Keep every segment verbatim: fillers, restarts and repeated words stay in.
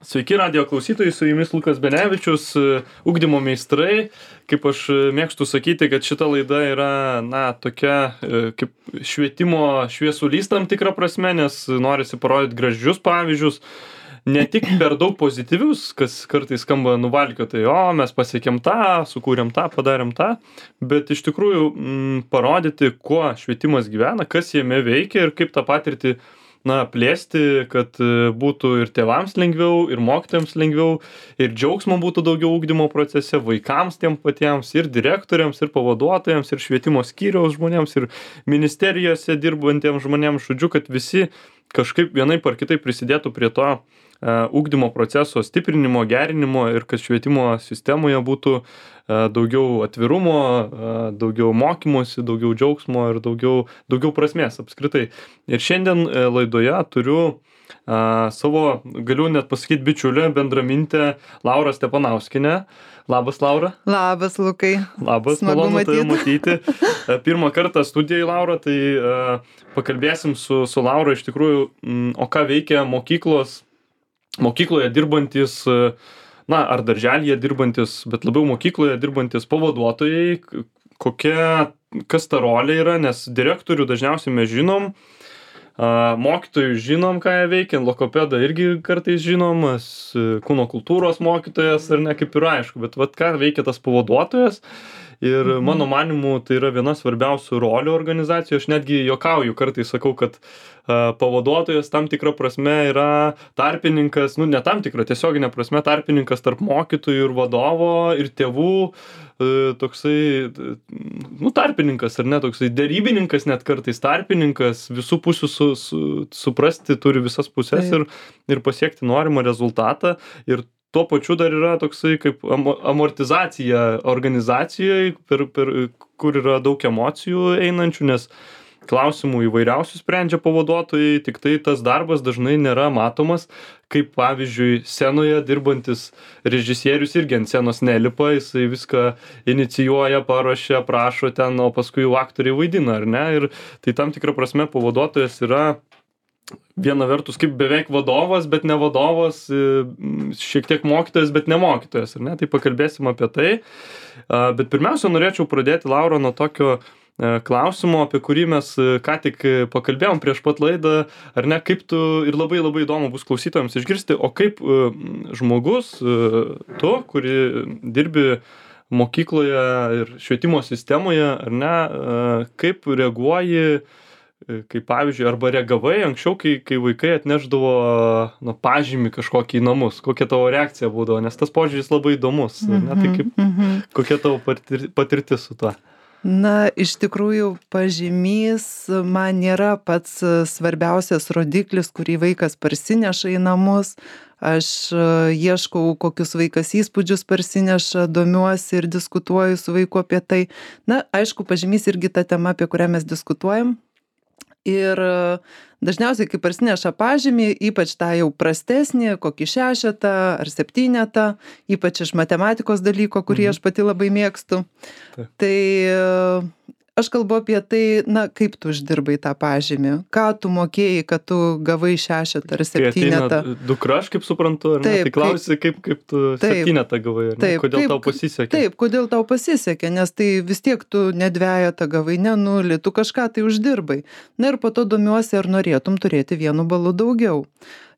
Sveiki radijo klausytojai, su jumis Lukas Benevičius, ugdymo meistrai. Kaip aš mėgstu sakyti, kad šita laida yra, na, tokia kaip švietimo šviesulys tam tikrą prasme, nes norisi parodyti gražius pavyzdžius, ne tik per daug pozityvius, kas kartais skamba nuvalkiotai, o mes pasiekėm tą, sukūrėm tą, padarėm tą, bet iš tikrųjų m, parodyti, kuo švietimas gyvena, kas jame veikia ir kaip tą patirtį na, plėsti, kad būtų ir tėvams lengviau, ir mokytojams lengviau, ir džiaugsmo būtų daugiau ugdymo procese, vaikams tiem patiems, ir direktoriams, ir pavaduotojams, ir švietimo skyriaus žmonėms, ir ministerijose dirbantiems žmonėms, žodžiu, kad visi kažkaip vienaip ar kitaip prisidėtų prie to uh, ugdymo proceso stiprinimo, gerinimo ir kad švietimo sistemoje būtų uh, daugiau atvirumo, uh, daugiau mokymosi, daugiau džiaugsmo ir daugiau, daugiau prasmės apskritai. Ir šiandien uh, laidoje turiu uh, savo, galiu net pasakyti, bičiulę, bendramintę Laurą Stepanauskienę. Labas, Laura. Labas, Lukai. Labas, malonu tave matyti. Pirmą kartą studijai, Laura, tai uh, pakalbėsim su, su Laura iš tikrųjų, mm, o ką veikia mokyklos, mokykloje dirbantis, na, ar darželyje dirbantis, bet labiau mokykloje dirbantis pavaduotojai, kokia, kas ta rolė yra, nes direktorių dažniausiai mes žinom, mokytojų žinom, ką jie veikia, logopedą irgi kartais žinomas, kūno kultūros mokytojas, ar ne, kaip ir aišku, bet vat ką veikia tas pavaduotojas. Ir mhm. mano manimu, tai yra viena svarbiausių rolių organizacijų. Aš netgi juokauju, kartais sakau, kad uh, pavaduotojas tam tikra prasme yra tarpininkas, nu ne tam tikra, tiesioginė prasme tarpininkas tarp mokytojų ir vadovo ir tėvų, uh, toksai, nu tarpininkas ar ne, toksai derybininkas net kartais tarpininkas, visų pusių su, su, suprasti turi visas pusės ir, ir pasiekti norimą rezultatą. Ir tuo pačiu dar yra toksai kaip amortizacija organizacijoje, per, per, kur yra daug emocijų einančių, nes klausimų įvairiausių sprendžia pavaduotojai, tik tai tas darbas dažnai nėra matomas, kaip pavyzdžiui scenoje dirbantis režisierius irgi ant scenos nelipa, jisai viską inicijuoja, paruošia, prašo ten, o paskui jau aktoriai vaidina, ar ne? Ir tai tam tikra prasme pavaduotojas yra viena vertus kaip beveik vadovas, bet ne vadovas, šiek tiek mokytojas, bet ne mokytojas, ar ne? Tai pakalbėsim apie tai. Bet pirmiausia, norėčiau pradėti, Laura, nuo tokio klausimo, apie kurį mes ką tik pakalbėjom prieš pat laidą, ar ne, kaip tu, ir labai labai įdomu bus klausytojams išgirsti, o kaip žmogus, tu, kuri dirbi mokykloje ir švietimo sistemoje, ar ne, kaip reaguoji, kaip pavyzdžiui, arba reagavai anksčiau, kai, kai vaikai atneždavo nu, pažymį kažkokį į namus, kokia tavo reakcija būdavo, nes tas požiūris labai įdomus, mm-hmm, ne? Tai kaip, mm-hmm. kokia tavo patir, patirtis su tuo? Na, iš tikrųjų, pažymys man nėra pats svarbiausias rodiklis, kurį vaikas parsineša į namus. Aš ieškau, kokius vaikas įspūdžius parsineša, domiuosi ir diskutuoju su vaiku apie tai. Na, aišku, pažymys irgi ta tema, apie kurią mes diskutuojam. Ir dažniausiai, kai parsineša pažymį, ypač tą jau prastesnį, kokį šešetą ar septynetą, ypač iš matematikos dalyko, kurį mhm. aš pati labai mėgstu, Taip. tai aš kalbu apie tai, na, kaip tu uždirbai tą pažymį, ką tu mokėjai, kad tu gavai šešetą ar septynetą. Dukra, aš kaip suprantu, ar ne? Taip, tai klausi, kaip, kaip tu taip, septynetą gavai, ar ne? Taip, kodėl kaip, tau pasisekė? Taip, kodėl tau pasisekė, nes tai vis tiek tu ne dvejetą gavai, ne nulį, tu kažką tai uždirbai. Na ir po to domiuosi, ar norėtum turėti vienu balu daugiau.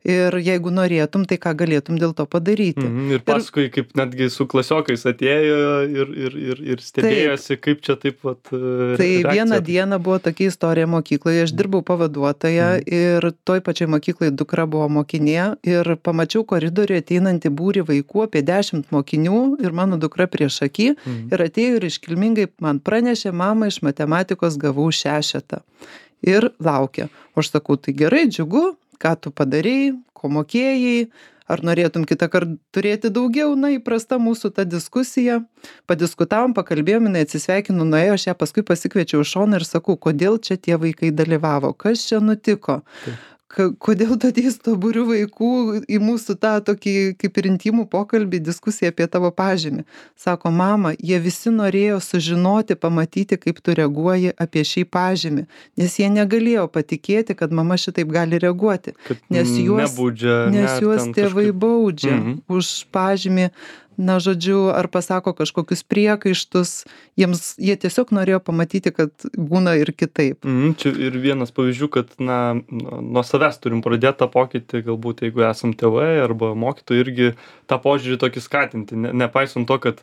Ir jeigu norėtum, tai ką galėtum dėl to padaryti. Mm, ir paskui, ir, kaip netgi su klasiokais atėjo ir, ir, ir, ir stebėjosi, taip, kaip čia taip vat. Tai reakcija. Vieną dieną buvo tokia istorija mokykloje, aš dirbau pavaduotoja mm. ir toj pačiai mokykloje dukra buvo mokinė ir pamačiau koridoriuje ateinantį būrį vaikų, apie dešimt mokinių ir mano dukra prieš akį mm. ir atėjo ir iškilmingai man pranešė, mama, iš matematikos gavau šešetą ir laukia. O aš sakau, tai gerai, džiugu. Ką tu padarei, ko mokėjai, ar norėtum kitą kartą turėti daugiau, na, įprasta mūsų ta diskusija. Padiskutavom, pakalbėjom, jinai atsisveikinu, nuėjo, aš ją paskui pasikviečiau iš šoną ir sakau, kodėl čia tie vaikai dalyvavo, kas čia nutiko, kodėl tu ateis to būriu vaikų į mūsų tą tokį kaip ir intimų pokalbį, diskusiją apie tavo pažymį. Sako, mama, jie visi norėjo sužinoti, pamatyti, kaip tu reaguoji apie šį pažymį, nes jie negalėjo patikėti, kad mama šitaip gali reaguoti. Kad Nes juos, nebaudžia, nes ne, juos ten tėvai kažkaip- baudžia Mhm. už pažymį, na, žodžiu, ar pasako kažkokius priekaištus, jiems, jie tiesiog norėjo pamatyti, kad būna ir kitaip. Mhm, čia ir vienas pavyzdžių, kad na, nuo nuo savęs turim pradėti tą pokytį, galbūt jeigu esam tėvai arba mokytojai, irgi tą požiūrį tokį skatinti, ne, nepaisant to, kad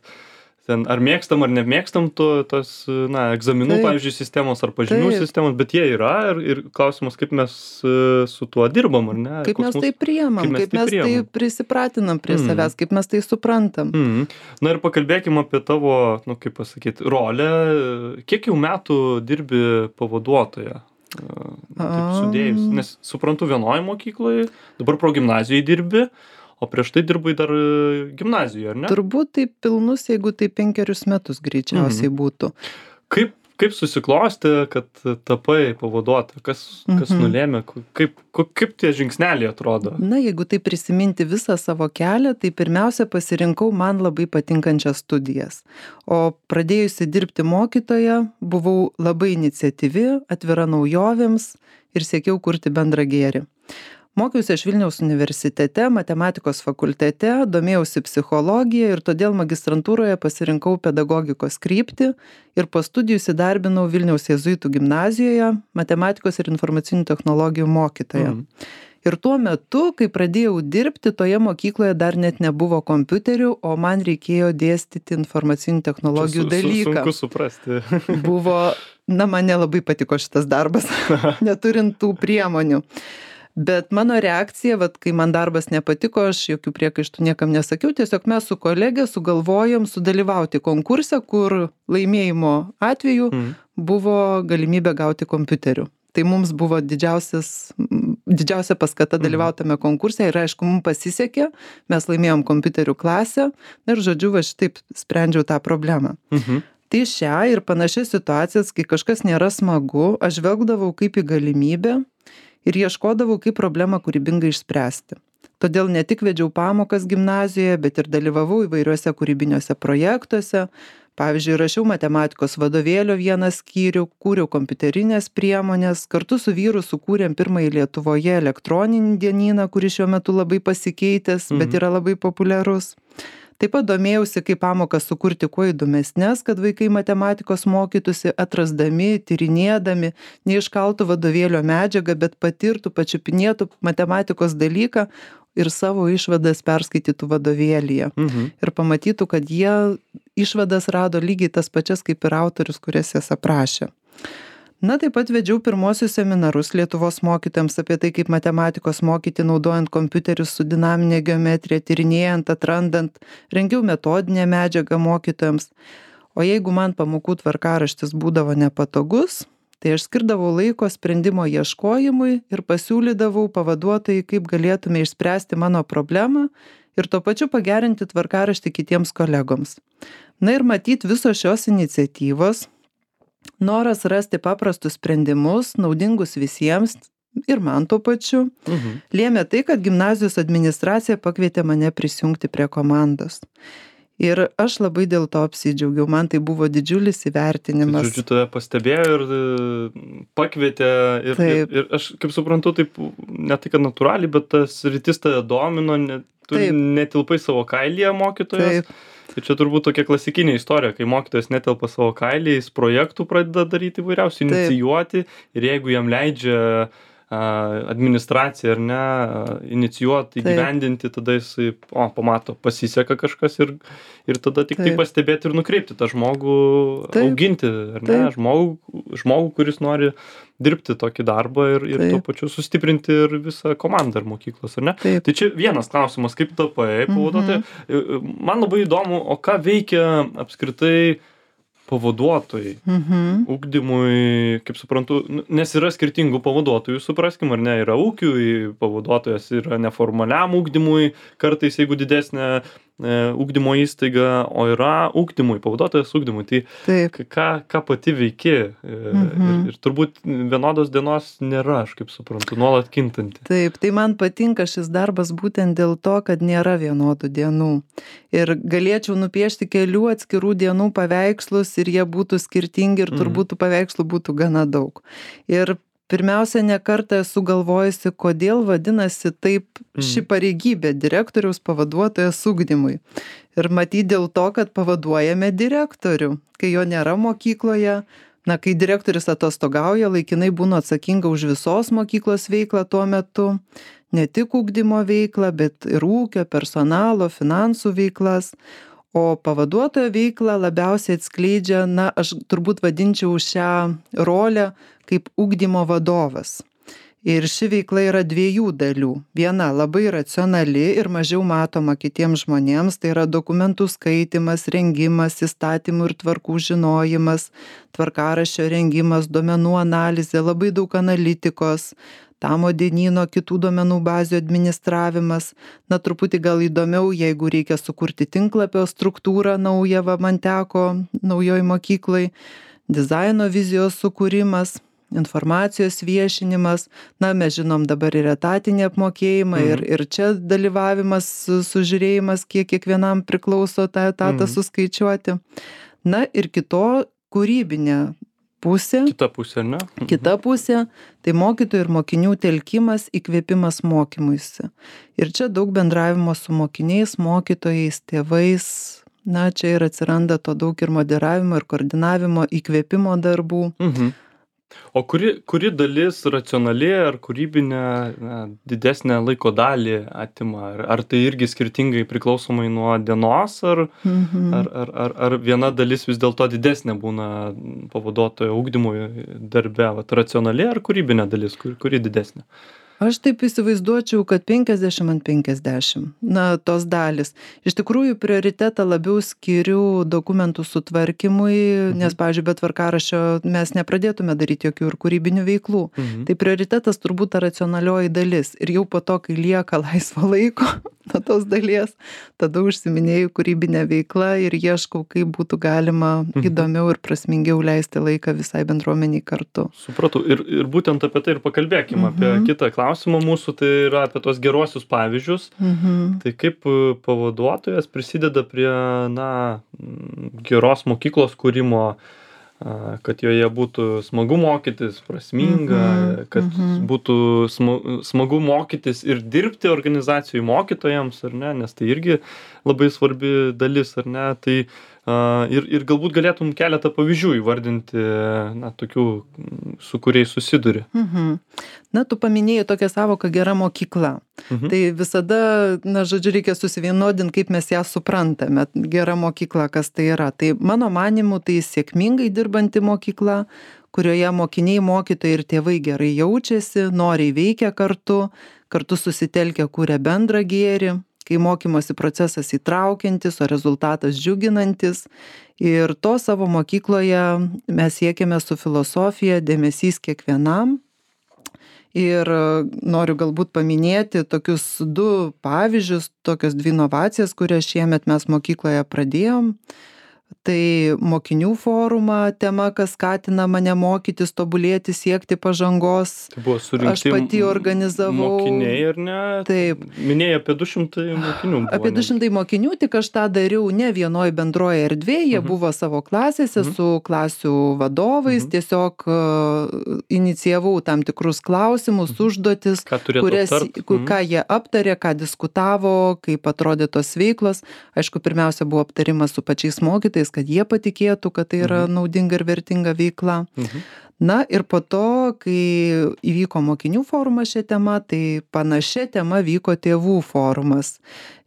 ten ar mėgstam ar nemėgstam to, tos na, egzaminų, Taip. pavyzdžiui, sistemos ar pažymių Taip. sistemos, bet jie yra ir, ir klausimas, kaip mes e, su tuo dirbam, ar ne? Kaip Koks mes mūsų- tai priemam, kaip mes kaip tai mes tai priemam. prisipratinam prie Mhm. savęs, kaip mes tai suprantam. Mhm. Na ir pakalbėkim apie tavo, nu kaip pasakyti, rolę. Kiek jau metų dirbi pavaduotoja? E, Taip sudėjus. Am. Nes suprantu, vienoje mokykloje, dabar progimnazijoje dirbi, o prieš tai dirbai dar e, gimnazijoje, ar ne? Turbūt tai pilnus, jeigu tai penkerius metus greičiausiai būtų. Kaip, kaip susiklosti, kad tapai pavaduotoja? Kas, kas Mhm. nulėmė? Ko- Kaip, ko- kaip tie žingsneliai atrodo? Na, jeigu tai prisiminti visą savo kelią, tai pirmiausia pasirinkau man labai patinkančias studijas. O pradėjusi dirbti mokytoja, buvau labai iniciatyvi, atvira naujovėms ir siekiau kurti bendrą gėrį. Mokiausi aš Vilniaus universitete, matematikos fakultete, domėjausi psichologija ir todėl magistrantūroje pasirinkau pedagogikos kryptį ir po studijų įsidarbinau Vilniaus jėzuitų gimnazijoje matematikos ir informacinių technologijų mokytoja. Mhm. Ir tuo metu, kai pradėjau dirbti, toje mokykloje dar net nebuvo kompiuterių, o man reikėjo dėstyti informacinių technologijų Su- su- dalyką. Sunku suprasti. Buvo, na, man nelabai patiko šitas darbas, neturint tų priemonių. Bet mano reakcija, vat, kai man darbas nepatiko, aš jokių priekaištų niekam nesakiau, tiesiog mes su kolegė sugalvojom sudalyvauti konkurse, kur laimėjimo atveju Mhm. buvo galimybė gauti kompiuterių. Tai mums buvo didžiausias, didžiausia paskata dalyvautame konkurse ir aišku, mums pasisekė, mes laimėjom kompiuterių klasę ir žodžiu, va šitaip sprendžiau tą problemą. Mhm. Tai šią ir panašias situacijas, kai kažkas nėra smagu, aš žvelgdavau kaip į galimybę ir ieškodavau, kaip problemą kūrybingai išspręsti. Todėl ne tik vedžiau pamokas gimnazijoje, bet ir dalyvavau įvairiuose kūrybiniuose projektuose. Pavyzdžiui, rašiau matematikos vadovėlio vieną skyrių, kūriau kompiuterinės priemonės, kartu su vyru sukūrėm pirmąjį Lietuvoje elektroninį dienyną, kuris šiuo metu labai pasikeitęs, bet Mhm. yra labai populiarus. Taip pat domėjausi, kaip pamokas sukurti kuo įdomesnes, kad vaikai matematikos mokytųsi atrasdami, tyrinėdami, neiškaltų vadovėlio medžiagą, bet patirtų, pačiupinėtų matematikos dalyką ir savo išvadas perskaitytų vadovėlyje. Mhm. Ir pamatytų, kad jie išvadas rado lygiai tas pačias kaip ir autorius, kurias jas aprašė. Na, taip pat vedžiau pirmosius seminarus Lietuvos mokytojams apie tai, kaip matematikos mokyti naudojant kompiuterius su dinaminė geometrija, tyrinėjant, atrandant, rengiau metodinę medžiagą mokytojams. O jeigu man pamokų tvarkaraštis būdavo nepatogus, tai aš skirdavau laiko sprendimo ieškojimui ir pasiūlydavau pavaduotojai, kaip galėtume išspręsti mano problemą ir tuo pačiu pagerinti tvarkaraštį kitiems kolegoms. Na ir matyt, visos šios iniciatyvos, noras rasti paprastus sprendimus, naudingus visiems ir man tuo pačiu, Mhm. lėmė tai, kad gimnazijos administracija pakvietė mane prisijungti prie komandos. Ir aš labai dėl to apsidžiaugiau, man tai buvo didžiulis įvertinimas. Žodžiu, tave pastebėjo ir e, pakvietė ir, ir, Taip. ir aš kaip suprantu, taip ne tai, kad natūraliai, bet tas rytis tave domino, ne, tu Taip. netilpai savo kailyje mokytojas. Taip, Ir čia turbūt tokia klasikinė istorija, kai mokytojas netelpa savo kailyje, jis projektų pradeda daryti įvairiausių, Taip. inicijuoti ir jeigu jam leidžia a, administracija ar ne, a, inicijuoti, Taip. įgyvendinti, tada jis, o, pamato, pasiseka kažkas ir, ir tada tik tai Taip. pastebėti ir nukreipti tą žmogų, Taip. auginti, ar ne, Taip. žmogų, žmogų, kuris nori dirbti tokį darbą ir, ir Taip. tuo pačiu sustiprinti ir visą komandą ir mokyklos, ar ne? taip. Tai čia vienas klausimas, kaip tapai pavaduotoja. Man labai įdomu, o ką veikia apskritai pavaduotojai Mhm. ugdymui, kaip suprantu, nu, nes yra skirtingų pavaduotojų, supraskim, ar ne, yra ūkiui pavaduotojas, yra neformaliam ugdymui, kartais jeigu didesnė ugdymo įstaiga, o yra ugdymui, pavaduotojas ugdymui. Tai Taip. ką, ką pati veiki? Mhm. Ir, ir turbūt vienodos dienos nėra, aš kaip suprantu, nuolat kintanti. Taip, tai man patinka šis darbas būtent dėl to, kad nėra vienodų dienų. Ir galėčiau nupiešti kelių atskirų dienų paveikslus ir jie būtų skirtingi ir turbūt tų paveikslų būtų gana daug. Ir pirmiausia, ne kartą esu galvojusi, kodėl vadinasi taip ši pareigybė direktoriaus pavaduotojas ugdymui. Ir matyt dėl to, kad pavaduojame direktorių, kai jo nėra mokykloje. Na, kai direktorius atostogauja, laikinai būna atsakinga už visos mokyklos veiklą tuo metu. Ne tik ugdymo veiklą, bet ir ūkio, personalo, finansų veiklas. O pavaduotojo veiklą labiausiai atskleidžia, na, aš turbūt vadinčiau šią rolę kaip ugdymo vadovas. Ir ši veikla yra dviejų dalių. Viena labai racionali ir mažiau matoma kitiems žmonėms, tai yra dokumentų skaitimas, rengimas, įstatymų ir tvarkų žinojimas, tvarkaraščio rengimas, duomenų analizė, labai daug analitikos, tamo dienyno, kitų duomenų bazių administravimas. Na, truputį gal įdomiau, jeigu reikia sukurti tinklapio struktūrą naują, va, man teko naujoj mokyklai, dizaino vizijos sukūrimas, informacijos viešinimas. Na, mes žinom dabar ir etatinį apmokėjimą, mhm. ir, ir čia dalyvavimas, sužiūrėjimas, kiek kiekvienam priklauso tą etatą mhm. suskaičiuoti. Na, ir kito kūrybinė pusė. Kita pusė, ne? Kita pusė, tai mokytojų ir mokinių telkimas, įkvėpimas mokymuisi. Ir čia daug bendravimo su mokiniais, mokytojais, tėvais. Na, čia ir atsiranda to daug ir moderavimo, ir koordinavimo, įkvėpimo darbų. Mhm. O kuri, kuri dalis racionali ar kūrybinė na, didesnę laiko dalį atima? Ar, ar tai irgi skirtingai priklausomai nuo dienos, ar, mhm. ar, ar, ar, ar viena dalis vis dėlto didesnė būna pavaduotojo ugdymui darbe? Vat, racionali ar kūrybinė dalis, kur, kuri didesnė? Aš taip įsivaizduočiau, kad penkiasdešimt ant penkiasdešimt, na, tos dalis. Iš tikrųjų, prioritetą labiau skiriu dokumentų sutvarkymui, mhm. nes, pavyzdžiui, be tvarkaraščio mes nepradėtume daryti jokių ir kūrybinių veiklų. Mhm. Tai prioritetas turbūt ta racionalioji dalis. Ir jau po to, kai lieka laisvo laiko nuo tos dalies, tada užsiminėjau kūrybinę veiklą ir ieškau, kaip būtų galima mhm. įdomiau ir prasmingiau leisti laiką visai bendruomeniai kartu. Supratau. Ir, ir būtent apie tai ir pakalbėkime, mhm. apie kitą klausimą. Klausimą mūsų tai yra apie tos geruosius pavyzdžius. Mhm. Tai kaip pavaduotojas prisideda prie na, geros mokyklos kūrimo, kad joje būtų smagu mokytis, prasminga, mhm. kad mhm. būtų smagu mokytis ir dirbti organizacijų mokytojams, ar ne, nes tai irgi labai svarbi dalis, ar ne. Tai ir, ir galbūt galėtum keletą pavyzdžių įvardinti, na, tokių, su kuriais susiduri. Mhm. Na, tu paminėjai tokią savoką gera mokykla. Mhm. Tai visada, na, žodžiu, reikia susivienodinti, kaip mes ją suprantame. Gera mokykla, kas tai yra. Tai mano manimu, tai sėkmingai dirbanti mokykla, kurioje mokiniai, mokytojai ir tėvai gerai jaučiasi, noriai veikia kartu, kartu susitelkia, kuria bendrą gėrį, kai mokymosi procesas įtraukiantis, o rezultatas džiuginantis. Ir to savo mokykloje mes siekiame su filosofija dėmesys kiekvienam. Ir noriu galbūt paminėti tokius du pavyzdžius, tokios dvi inovacijas, kurias šiemet mes mokykloje pradėjom. Tai mokinių forumą tema, kas skatina mane mokytis, tobulėti, siekti pažangos. Tai buvo surinkti aš pati organizavau. Mokiniai, ar ne? Taip. Minėjai apie du šimtai mokinių. Buvo, apie du šimtai mokinių, tik aš tą dariau ne vienoj bendroje erdvėje, jie uh-huh. buvo savo klasėse uh-huh. su klasių vadovais, uh-huh. tiesiog uh, inicijavau tam tikrus klausimus, uh-huh. užduotis, kurias, uh-huh. ką jie aptarė, ką diskutavo, kaip atrodė tos veiklos. Aišku, pirmiausia buvo aptarimas su pačiais mokytais, kad jie patikėtų, kad tai yra mhm. naudinga ir vertinga veikla. Mhm. Na ir po to, kai įvyko mokinių forumas šią temą, tai panašia tema vyko tėvų forumas.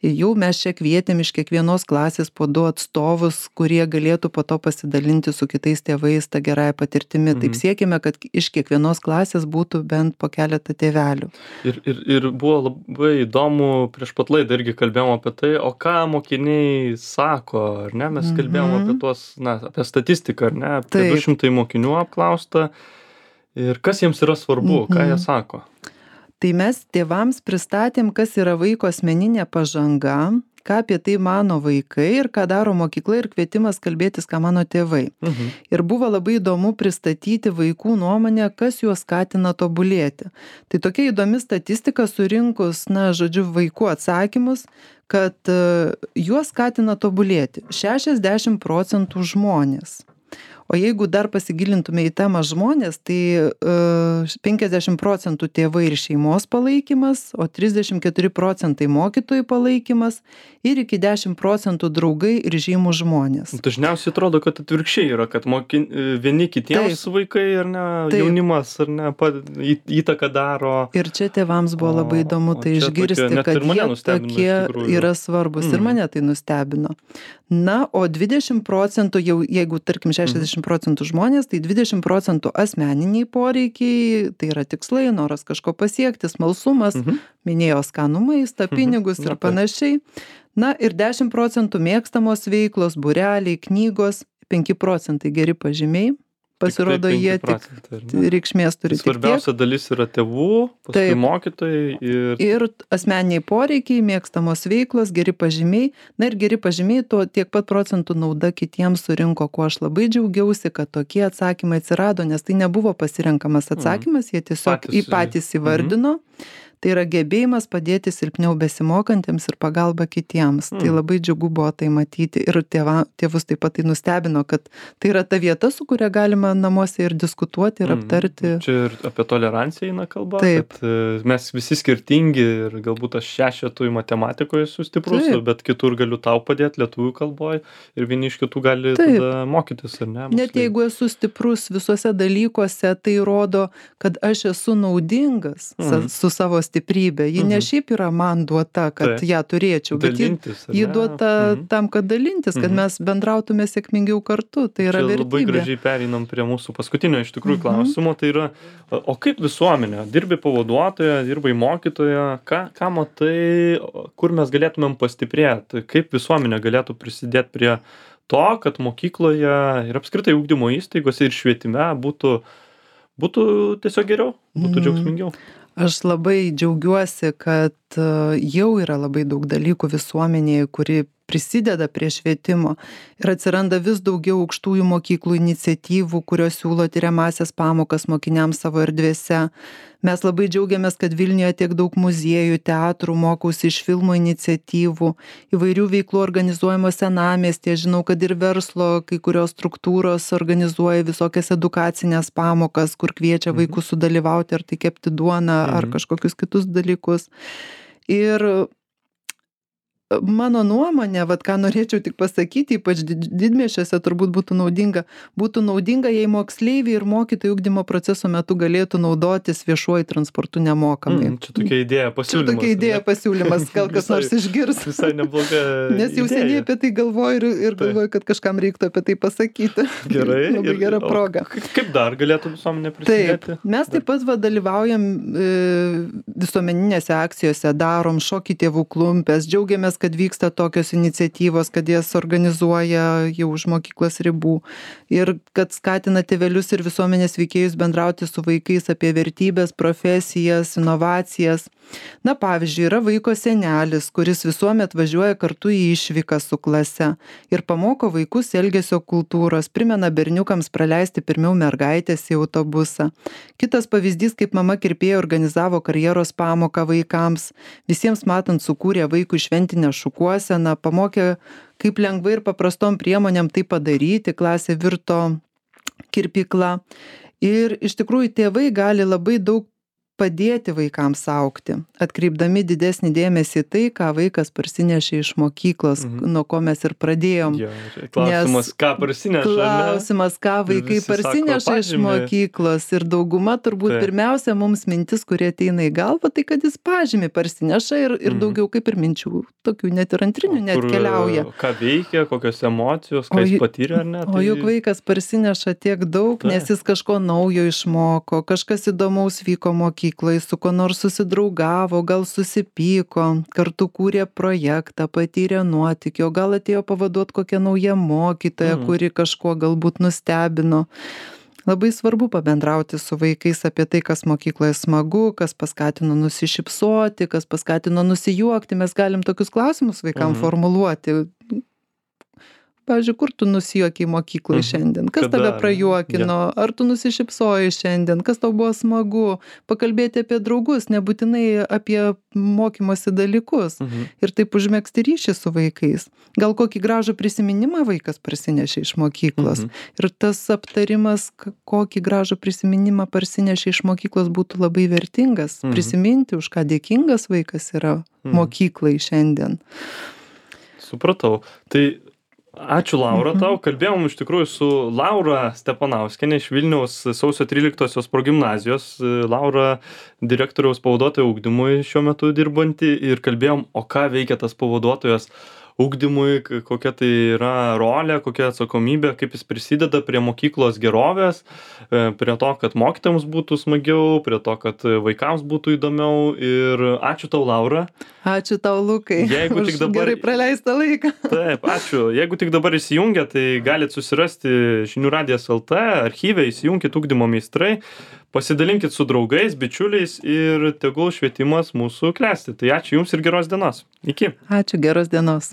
Jau mes čia kvietėm iš kiekvienos klasės po du atstovus, kurie galėtų po to pasidalinti su kitais tėvais tą gerąją patirtimį. Mhm. Taip siekime, kad iš kiekvienos klasės būtų bent po keletą tėvelių. Ir, ir, ir buvo labai įdomu, prieš pat laidą irgi kalbėjom apie tai, o ką mokiniai sako, ar ne? Mes kalbėjom mhm. apie tuos, na, apie statistiką, ar ne? Apie du šimtai mokinių apklausta. Ir kas jiems yra svarbu, mhm. ką jie sako? Tai mes tėvams pristatėm, kas yra vaiko asmeninė pažanga, ką apie tai mano vaikai ir ką daro mokykla ir kvietimas kalbėtis, ką mano tėvai. Mhm. Ir buvo labai įdomu pristatyti vaikų nuomonę, kas juos skatina tobulėti. Tai tokia įdomi statistika surinkus, na, žodžiu, vaikų atsakymus, kad uh, juos skatina tobulėti šešiasdešimt procentų žmonės. O jeigu dar pasigilintume į temą žmonės, tai uh, penkiasdešimt procentų tėvai ir šeimos palaikymas, o trisdešimt keturi procentai mokytojų palaikymas ir iki dešimt procentų draugai ir žymų žmonės. Dažniausiai atrodo, kad atvirkščiai yra, kad mokin, vieni kitiems Taip. vaikai ar ne, Taip. jaunimas ar ne, pa, į, įtaką daro. Ir čia tėvams buvo labai įdomu tai išgirsti, tokia, kad jie tokie yra svarbus mm. ir mane tai nustebino. Na, o dvidešimt procentų, jau, jeigu tarkim šešiasdešimt procentų žmonės, tai dvidešimt procentų asmeniniai poreikiai, tai yra tikslai, noras kažko pasiekti, smalsumas, mhm. minėjo skanų maistą, pinigus mhm. ir panašiai. Na ir dešimt procentų mėgstamos veiklos, būreliai, knygos, penki procentai geri pažymiai. Pasirodo, tik jie tik reikšmės turi. Svarbiausia dalis yra tėvų, paskui Taip. mokytojai. Ir... ir asmeniniai poreikiai, mėgstamos veiklos, geri pažymiai. Na ir geri pažymiai, to tiek pat procentų nauda kitiems surinko, kuo aš labai džiaugiausi, kad tokie atsakymai atsirado, nes tai nebuvo pasirenkamas atsakymas, jie tiesiog patys, į patys įvardino. Mhm. Tai yra gebėjimas padėti silpniau besimokantiems ir pagalba kitiems. Mm. Tai labai džiugu buvo tai matyti ir tėva, tėvus taip pat tai nustebino, kad tai yra ta vieta, su kuria galima namuose ir diskutuoti ir mm. aptarti. Čia ir apie toleranciją eina kalba, taip. Kad mes visi skirtingi ir galbūt aš šešetui matematikoje esu stiprus, taip. Bet kitur galiu tau padėti lietuvių kalboje ir vieni iš kitų gali taip. Tada mokytis, ar ne? Net jeigu esu stiprus visuose dalykuose, tai rodo, kad aš esu naudingas mm. su savo stiprybė. Ji ne šiaip yra man duota, kad tai. ją turėčiau, bet dalintis, ji, ji duota mhm. tam, kad dalintis, kad mhm. mes bendrautume sėkmingiau kartu. Tai yra Čia vertybė. Labai gražiai pereinam prie mūsų paskutinio iš tikrųjų mhm. klausimo. Tai yra, o kaip visuomenė? Dirbi pavaduotoją, dirbai mokytoją, ką, ką matai, kur mes galėtumėm pastiprėti? Kaip visuomenė galėtų prisidėti prie to, kad mokykloje ir apskritai ugdymo įstaigose ir švietime būtų, būtų tiesiog geriau, būtų mhm. džiaugsmingiau? Aš labai džiaugiuosi, kad jau yra labai daug dalykų visuomenėje, kuri prisideda prie švietimo ir atsiranda vis daugiau aukštųjų mokyklų iniciatyvų, kurios siūlo tiriamąsias pamokas mokiniams savo erdvėse. Mes labai džiaugiamės, kad Vilniuje tiek daug muziejų, teatrų, mokausi iš filmų iniciatyvų, įvairių veiklų organizuojamos senamiestyje. Žinau, kad ir verslo kai kurios struktūros organizuoja visokias edukacinės pamokas, kur kviečia vaikus sudalyvauti, ar tai kepti duoną, ar kažkokius kitus dalykus. Ir mano nuomonė, vat ką norėčiau tik pasakyti, ypač didmiesčiuose turbūt būtų naudinga, būtų naudinga, jei moksleiviai ir mokytojai ugdymo proceso metu galėtų naudotis viešuoju transportu nemokamai. Mm, čia tokia idėja pasiūlymas. Čia tokia idėja pasiūlymas, gal kas visai, nors išgirs. Visai nebloga Nes jau idėja. Seniai apie tai galvoju ir, ir galvoju, kad kažkam reiktų apie tai pasakyti. Gerai. Labai gera proga. Kaip dar galėtų visuomenė prisidėti? Taip, mes taip pat va, dalyvaujam e, visuomeninėse akcijose, darom šokį tėvų klumpės, džiaugiamės, kad vyksta tokios iniciatyvos, kad jas organizuoja jau už mokyklos ribų ir kad skatina tėvelius ir visuomenės veikėjus bendrauti su vaikais apie vertybės, profesijas, inovacijas. Na, pavyzdžiui, yra vaiko senelis, kuris visuomet važiuoja kartu į išvyką su klase ir pamoko vaikus elgesio kultūros, primena berniukams praleisti pirmiau mergaitės į autobusą. Kitas pavyzdys, kaip mama kirpėja organizavo karjeros pamoką vaikams, visiems matant sukūrė vaikų šventinę šukuoseną, pamokė, kaip lengvai ir paprastom priemonėm tai padaryti, klasė virto kirpykla. Ir iš tikrųjų tėvai gali labai daug padėti vaikams augti, atkreipdami didesnį dėmesį tai, ką vaikas parsinešė iš mokyklos, mhm. nuo ko mes ir pradėjom. Ja, klausimas, Nes, ką parsineša. Klausimas, ką vaikai parsineša iš mokyklos. Ir dauguma turbūt tai. Pirmiausia mums mintis, kurie ateina į galvą, tai kad jis pažymį parsineša ir, ir mhm. daugiau kaip ir minčių, tokių net ir antrinių net Kur, keliauja. Ką veikia, kokios emocijos, ką jis patyrė ar ne. Tai... O juk vaikas parsineša tiek daug, tai. Nes jis kažko naujo išmoko, kažkas įdomaus vyko mokykloje. Su ko nors susidraugavo, gal susipyko, kartu kūrė projektą, patyrė nuotykį, o gal atėjo pavaduoti kokią naują mokytoją, mm. kuri kažkuo galbūt nustebino. Labai svarbu pabendrauti su vaikais apie tai, kas mokykloje smagu, kas paskatino nusišypsoti, kas paskatino nusijuokti. Mes galim tokius klausimus vaikam Mhm. formuluoti. Pavyzdžiui, kur tu nusijuokiai mokykloje Mhm. šiandien? Kas Kada, tave ar ne? prajuokino? Ar tu nusišypsojai šiandien? Kas tau buvo smagu? Pakalbėti apie draugus, nebūtinai apie mokymosi dalykus. Mhm. Ir taip užmegzti ryšį su vaikais. Gal kokį gražų prisiminimą vaikas parsinešė iš mokyklos. Mhm. Ir tas aptarimas, k- kokį gražų prisiminimą parsinešė iš mokyklos, būtų labai vertingas. Mhm. Prisiminti, už ką dėkingas vaikas yra Mhm. mokyklai šiandien. Supratau. Tai ačiū Laura Mhm. tau. Kalbėjom iš tikrųjų su Laura Stepanauskienė iš Vilniaus sausio tryliktosios progimnazijos. Laura direktoriaus pavaduotoja ugdymui šiuo metu dirbanti ir kalbėjom, o ką veikia tas pavaduotojas ugdymui, k- kokia tai yra rolė, kokia atsakomybė, kaip jis prisideda prie mokyklos gerovės, e, prie to, kad mokytojams būtų smagiau, prie to, kad vaikams būtų įdomiau. Ir ačiū tau, Laura. Ačiū tau, Lukai, Jeigu už tik dabar- gerai praleistą laiką. Taip, ačiū. Jeigu tik dabar įsijungia, tai galit susirasti Žinių radijas L T archyve, įsijunkit ugdymo meistrai, pasidalinkit su draugais, bičiuliais ir tegul švietimas mūsų klesti. Tai ačiū Jums ir geros dienos. Iki. Ačiū, geros dienos.